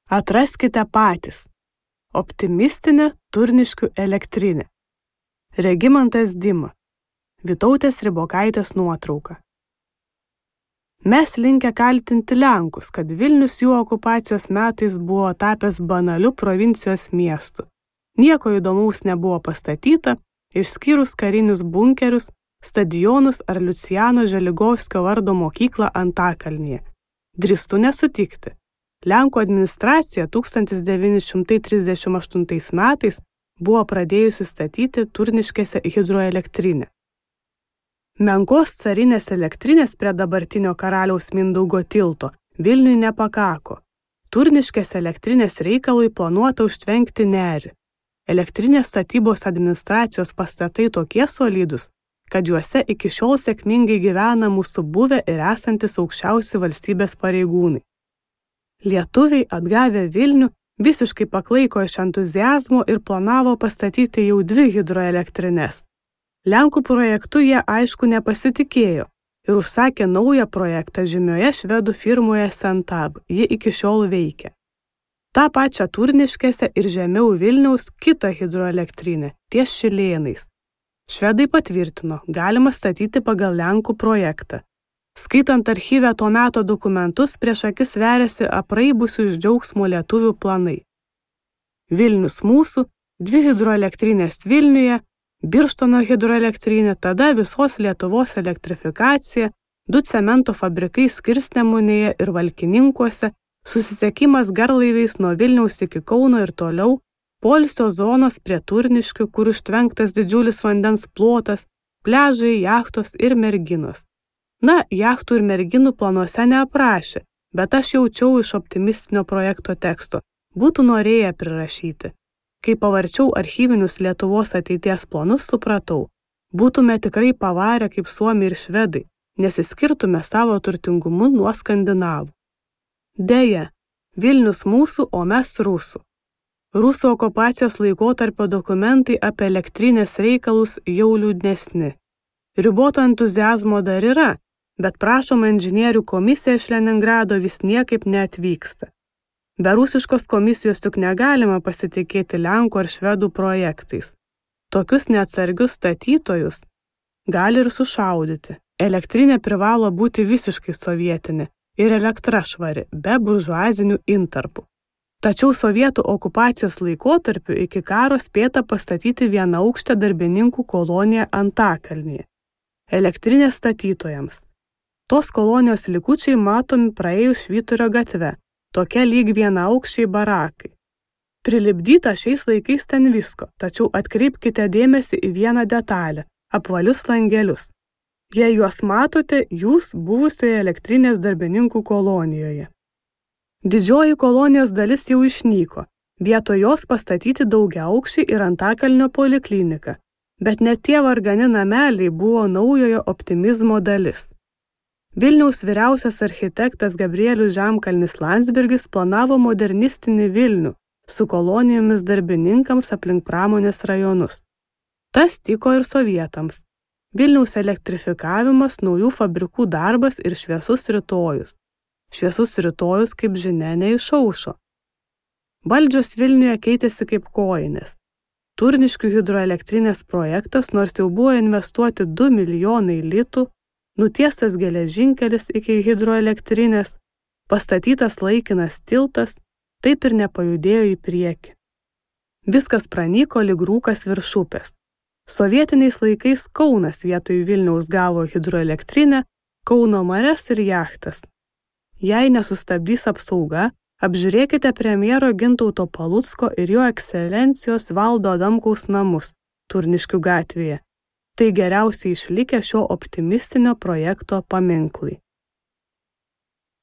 Atraskite patys. Optimistinė Turniškių elektrinė. Regimantas Dima. Vytautės Ribokaitės nuotrauka. Mes linkę kaltinti Lenkus, kad Vilnius jų okupacijos metais buvo tapęs banaliu provincijos miestu. Nieko įdomaus nebuvo pastatyta, išskyrus karinius bunkerius, stadionus ar Liucijano Želigovskio vardo mokyklą Antakalnyje. Drįstu nesutikti. Lenkų administracija 1938 metais buvo pradėjusi statyti Turniškėse hidroelektrinę. Menkos carinės elektrinės prie dabartinio karaliaus Mindaugo tilto Vilniui nepakako. Turniškės elektrinės reikalui planuota užtvenkti nerį. Elektrinės statybos administracijos pastatai tokie solidus, kad juose iki šiol sėkmingai gyvena mūsų buvę ir esantis aukščiausi valstybės pareigūnai. Lietuviai atgavę Vilnių visiškai paklaiko iš entuziazmo ir planavo pastatyti jau 2 hidroelektrines. Lenkų projektu jie aišku nepasitikėjo ir užsakė naują projektą žymioje švedų firmoje Sentab, ji iki šiol veikia. Ta pačia Turniškėse ir žemiau Vilniaus kitą hidroelektrinę, ties Šilėnais. Švedai patvirtino, galima statyti pagal Lenkų projektą. Skaitant archyve to meto dokumentus, prieš akis veriasi apraibusių iš džiaugsmo lietuvių planai. Vilnius mūsų, 2 hidroelektrinės Vilniuje, Birštono hidroelektrinė, tada visos Lietuvos elektrifikacija, 2 cemento fabrikai Skirsnemunėje ir Valkininkuose, susisiekimas garlaiviais nuo Vilniaus iki Kauno ir toliau, poilsio zonos prie Turniškių, kur užtvenktas didžiulis vandens plotas, pliažai, jachtos ir merginos. Na, jachtų ir merginų planuose neaprašė, bet aš jaučiau iš optimistinio projekto teksto. Būtų norėję prirašyti. Kai pavarčiau archyvinius Lietuvos ateities planus, supratau, būtume tikrai pavarę kaip Suomiai ir Švedai, nesiskirtume savo turtingumu nuo Skandinavų. Deja, Vilnius mūsų, o mes rusų. Rusų okupacijos laikotarpio dokumentai apie elektrinės reikalus jau liūdnesni. Riboto entuziazmo dar yra, bet prašoma inžinierių komisija iš Leningrado vis niekaip neatvyksta. Be rusiškos komisijos juk negalima pasitikėti Lenkų ar Švedų projektais. Tokius neatsargius statytojus gali ir sušaudyti. Elektrinė privalo būti visiškai sovietinė ir elektra švari, be buržuazinių intarpų. Tačiau sovietų okupacijos laikotarpiu iki karo spėta pastatyti vienaaukštę darbininkų koloniją Antakalnyje. Elektrinės statytojams. Tos kolonijos likučiai matomi praėjus Švyturio gatve, tokia lyg vienaaukščiai barakai. Prilipdyta šiais laikais ten visko, tačiau atkreipkite dėmesį į vieną detalę – apvalius langelius. Jei juos matote, jūs buvusioje elektrinės darbininkų kolonijoje. Didžioji kolonijos dalis jau išnyko, vietoj jos pastatyti daugiaaukščiai ir Antakalnio poliklinika, bet net tie vargani nameliai buvo naujojo optimizmo dalis. Vilniaus vyriausias architektas Gabrielius Žemkalnis Landsbergis planavo modernistinį Vilnių su kolonijomis darbininkams aplink pramonės rajonus. Tas tiko ir sovietams. Vilniaus elektrifikavimas, naujų fabrikų darbas ir šviesus rytojus. Šviesus rytojus, kaip žinia, neišaušo. Valdžios Vilniuje keitėsi kaip kojinės. Turniškių hidroelektrinės projektas, nors jau buvo investuoti 2 milijonai litų, nutiestas geležinkelis iki hidroelektrinės, pastatytas laikinas tiltas, taip ir nepajudėjo į priekį. Viskas pranyko lyg rūkas virš upės. Sovietiniais laikais Kaunas vietoj Vilniaus gavo hidroelektrinę, Kauno marias ir jachtas. Jei nesustabdys apsauga, apžiūrėkite premjero Gintauto Palucko ir jo ekscelencijos Valdo Adamkaus namus Turniškių gatvėje. Tai geriausiai išlikę šio optimistinio projekto paminklai.